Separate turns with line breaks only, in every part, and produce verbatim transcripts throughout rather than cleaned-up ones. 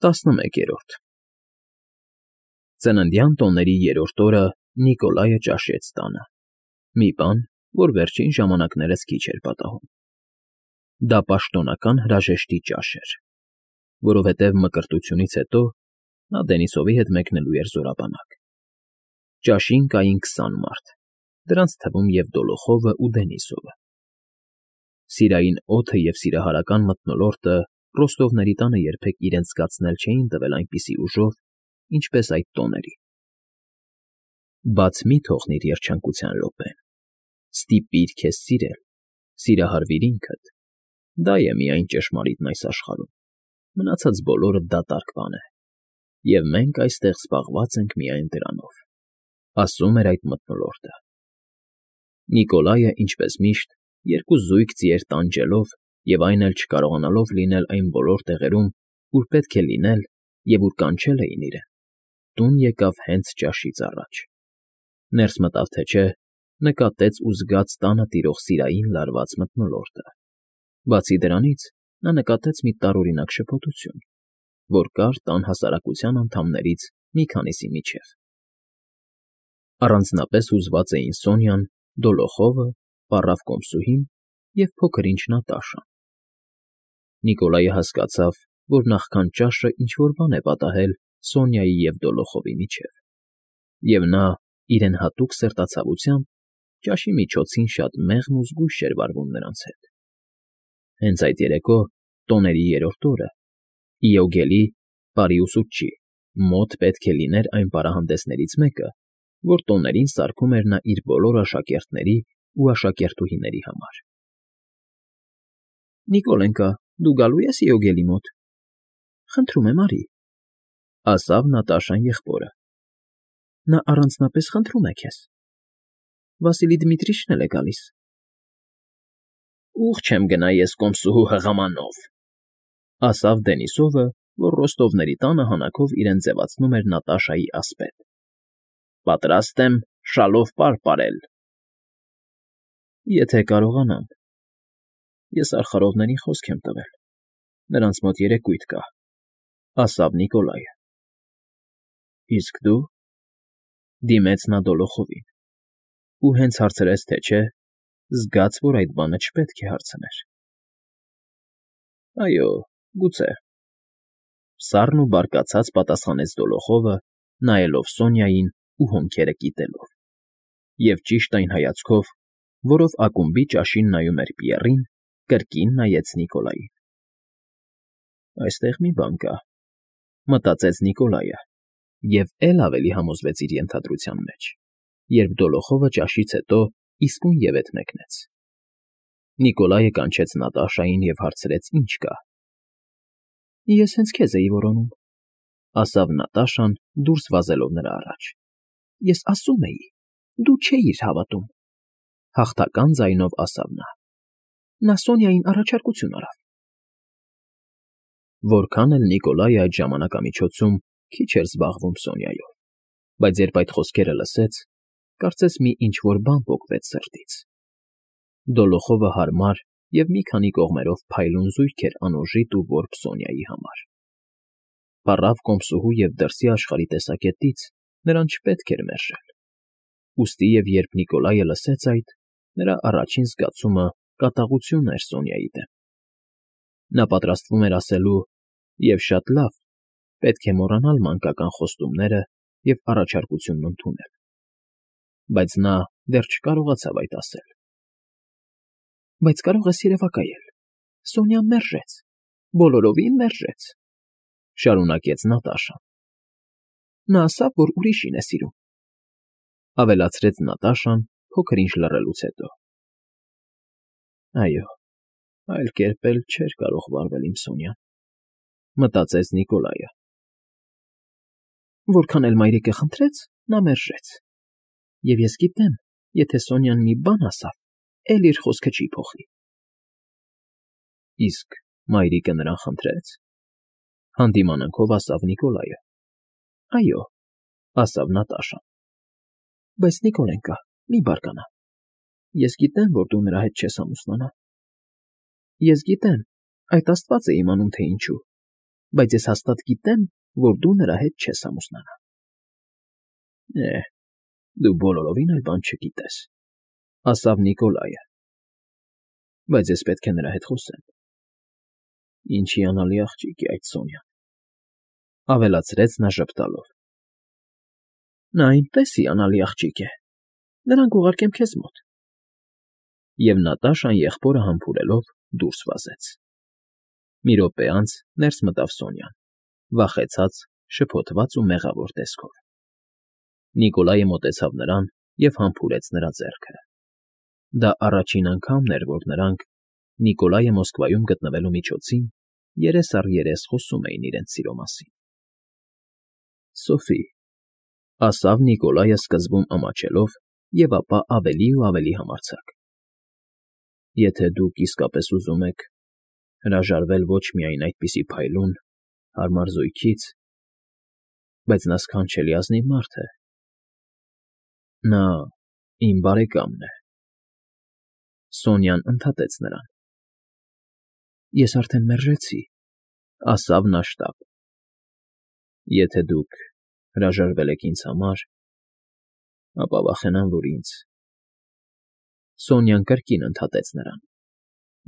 Տասնմեկերորդ Ծննդյան տոների երրորդ օրը Նիկոլայը ճաշեց տանը, մի բան, որ վերջին ժամանակներս քիչ էր պատահում. դա պաշտոնական հրաժեշտի ճաշ էր, որովհետև մկրտությունից հետո նա Դենիսովի հետ մեկնելու էր զորաբանակ. ճաշին կային քսան մարդ, դրանց թվում և Դոլոխովն ու Դենիսովը. սիրային օդը և սիրահարական մթնոլորտը Ռոստովների տանը երբեք իրենց զգացնել չէին տվել այնպիսի ուժով, ինչպես այդ տոներին. բաց մի թողնիր երջանկության րոպեն, ստիպիր քեզ սիրել, սիրահարվիր ինքդ, դա է միայն ճշմարիտն այս աշխարհում, մնացած բոլորը դատարկ բան է, և մենք այստեղ զբաղված ենք միայն դրանով, ասում էր այդ մթնոլորտը։ Նիկոլայը, ինչպես միշտ, երկու զույգ ձիեր տանջելով և այն էլ չկարողանալով լինել այն բոլոր տեղերում, ուր պետք է լինել և ուր կանչել էին իրեն, տուն եկավ հենց ճաշից առաջ, ներս մտավ թե չէ, նկատեց ու զգաց տանը տիրող սիրային լարված մթնոլորտը, բացի դրանից նա նկատեց մի տարօրինակ շփոթություն, որ կար տան հասարակության անդամներից մի քանիսի միջև. առանձնապես հուզված էին Սոնյան, Դոլոխովը, պառավ կոմսուհին և փոքր-ինչ Նատաշան։ Նիկոլայը հասկացավ, որ նախքան ճաշը ինչ֊որ բան է պատահել Սոնյայի և Դոլոխովի միջև, և նա, իրեն հատուկ սրտացավությամբ, ճաշի միջոցին շատ մեղմ ու զգույշ էր վարվում նրանց հետ։ Հենց այդ երեկո, տոների երրորդ օրը, Իոգելի, պարի ուսուցչի, մոտ պետք է լիներ այն պարահանդեսներից մեկը, որ տոներին սարքում էր նա իր բոլոր աշակերտների ու աշակերտուհիների համար։ ֊ Նիկոլենկա, դու գալո՞ւ ես Իոգելի մոտ։ ֊ Խնդրում եմ, արի, ֊ ասավ Նատաշան եղբորը։ ֊ Նա առանձնապես խնդրում է քեզ։ Վասիլի Դմիտրիչն էլ է գալիս։ ֊ Ուղղ չեմ գնա ես կոմսուհու հղամանով, ֊ ասավ Դենիսովը, որ Ռոստովների տանը հանակով իրեն ձևացնում էր Նատաշայի ասպետ։ ֊ Պատրաստ եմ շալով պար պարել։ ֊ Եթե կարողանամ։ Ես արխարովներին խոսք եմ տվել, նրանց մոտ երեկույթ կա, ֊ ասավ Նիկոլայը։ ֊ Իսկ դու, ֊ դիմեց նա Դոլոխովին, ու հենց հարցրեց, թե չէ, զգաց, որ այդ բանը չպետք է հարցներ։ ֊ Այո, գուցե, ֊ սառն ու բարկացած պատասխանեց Դոլոխովը, նայելով Սոնյային ու հոնքերը կիտելով, և ճիշտ այն հայացքով, որով ակումբի ճաշին նայում էր Պիեռին, կրկին նայեց Նիկոլային։ Այստեղ մի բան կա, ֊ մտածեց Նիկոլայը և էլ ավելի համոզվեց իր ենթադրության մեջ, երբ Դոլոխովը ճաշից հետո իսկույն ևեթ մեկնեց։ Նիկոլայը կանչեց Նատաշային և հարցրեց. ինչ կա։ ֊ Ես հենց քեզ էի որոնում, ֊ ասավ Նատաշան, դուրս վազելով նրա առաջ։ ֊ Ես ասում էի, դու չէիր հավատում, ֊ հաղթական ձայնով ասավ նա։ Նա Սոնյային առաջարկություն արավ։ Որքան էլ Նիկոլայը այդ ժամանակամիջոցում քիչ էր զբաղվում Սոնյայով, բայց երբ այդ խոսքերը լսեց, կարծես մի ինչ֊որ բան պոկվեց սրտից։ Դոլոխովը հարմար և մի քանի կողմերով փայլուն զույգ էր անոժիտ ու որբ Սոնյայի համար։ Պառավ կոմսուհու և դրսի աշխարհի տեսակետից նրան չպետք էր մերժել։ Ուստի և երբ Նիկոլայը լսեց այդ, նրա առաջին զգացումը կատաղություն էր Սոնյայի դեմ։ Նա պատրաստվում էր ասելու. «Եվ շատ լավ, պետք է մոռանալ մանկական խոստումները և առաջարկությունն ընդունել», բայց նա դեռ չկարողացավ այդ ասել։ Բայց կարող ես երևակայել. Սոնյան մերժեց, բոլորովին մերժեց, ֊ շարունակեց Նատաշան։ Նա ասավ, որ ուրիշին է սիրում, ֊ ավելացրեց Նատաշան փոքր-ինչ լռելուց հետո։ Այո, այլ կերպ էլ չէր կարող վարվել իմ Սոնյան, ֊ մտածեց Նիկոլայը։ Որքան էլ մայրիկը խնդրեց, նա մերժեց, և ես գիտեմ, եթե Սոնյան մի բան ասավ, էլ իր խոսքը չի փոխի։ ֊ Իսկ մայրիկը նրան խնդրե՞ց, ֊ հանդիմանանքով ասավ Նիկոլայը։ ֊ Այո, ֊ ասավ Նատաշան։ Բայց Նիկոլենկա, մի բարկանա, ես գիտեմ, որ դու նրա հետ չես ամուսնանա։ Ես գիտեմ, այդ աստված է իմանում, թե ինչու, բայց ես հաստատ գիտեմ, որ դու նրա հետ չես ամուսնանա։ ֊ Է, դու բոլորովին էլ բան չգիտես,֊ ասաց Նիկոլայը,֊ բայց ես պետք է նրա հետ խոսեմ։ Ինչ հիանալի աղջիկ է այդ Սոնյան,֊ ավելացրեց նա ժպտալով։ ֊ Նա այնպես հիանալի աղջիկ է, նրան կուղարկեմ քեզ մոտ։ Եվ Նատաշան եղբորը համբուրելով դուրս վազեց։ Մի րոպե անց ներս մտավ Սոնյան, վախեցած, շփոթված ու մեղավոր տեսքով։ Նիկոլայը մոտեցավ նրան և համբուրեց նրա ձեռքը։ Դա առաջին անգամն էր, որ նրանք, Նիկոլայը Մոսկվայում գտնվելու միջոցին, երես առ երես խոսում էին իրենց սիրո մասին։ ֊ Սոֆի,֊ ասավ Նիկոլայը սկզբում ամաչելով և ապա ավելի ու ավելի համարձակ,֊ եթե դուք իսկապես ուզում եք հրաժարվել ոչ միայն այդպիսի փայլուն, հարմար զույգից, բայց նա սքանչելի ազնիվ մարդ է, նա իմ բարեկամն է… Սոնյան ընդհատեց նրան։ ֊ Ես արդեն մերժեցի,֊ ասավ նա շտապ։ ֊ Եթե դուք հրաժարվել եք ինձ համար, ապա վախենամ, որ ինձ… Սոնյան կրկին ընդհատեց նրան։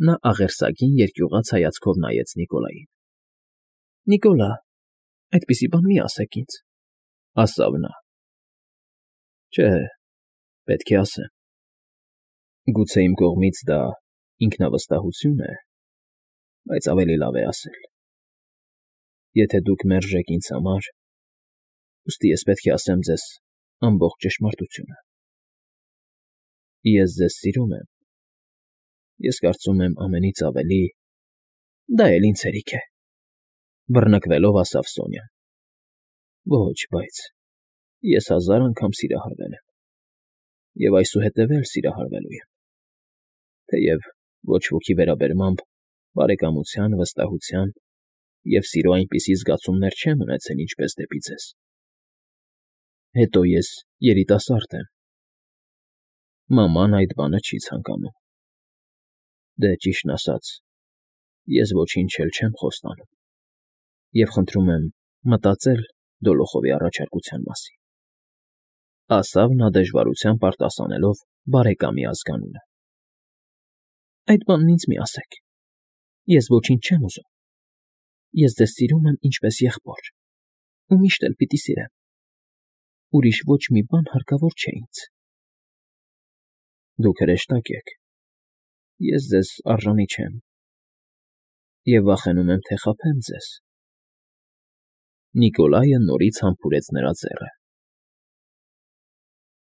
Նա աղերսագին երկյուղած հայացքով նայեց Նիկոլային։ ֊ Նիկոլա, այդպիսի բան մի ասեք ինձ,֊ ասավ նա։ ֊ Չէ, պետք է ասեմ… Գուցե իմ կողմից դա ինքնավստահություն է, բայց ավելի լավ է ասել… Եթե դուք մերժեք ինձ համար, ուստի ես պետք է ասեմ ձեզ ամբողջ ճշմարտությունը… Ես ձեզ սիրում եմ, ես կարծում եմ ամենից ավելի… Դա էլ ինձ հերիք է,֊ բռնկվելով ասավ Սոնյան։ ֊ Ոչ, բայց ես հազար անգամ սիրահարվել եմ և այսուհետև էլ սիրահարվելու եմ, թեև ոչ ոքի վերաբերմամբ բարեկամության, վստահության և սիրո այնպիսի զգացումներ չեմ ունեցել, ինչպես դեպի ձեզ… Հետո ես երիտասարդ եմ, մաման այդ բանը չի ցանկանում… Դե, ճիշտն ասած, ես ոչինչ էլ չեմ խոստանում և խնդրում եմ մտածել Դոլոխովի առաջարկության մասին,֊ ասավ նա դժվարությամբ արտասանելով բարեկամի ազգանունը։ ֊ Այդ բանն ինձ մի ասեք, ես ոչինչ չեմ ուզում… Ես ձեզ սիրում եմ ինչպես եղբոր ու միշտ էլ պիտի սիրեմ… Ուրիշ ոչ մի բան հարկավոր չէ ինձ… Դուք հրեշտակ եք, ես ձեզ արժանի չեմ և վախենում եմ, թե խաբեմ ձեզ… Նիկոլայը նորից համբուրեց նրա ձեռքը։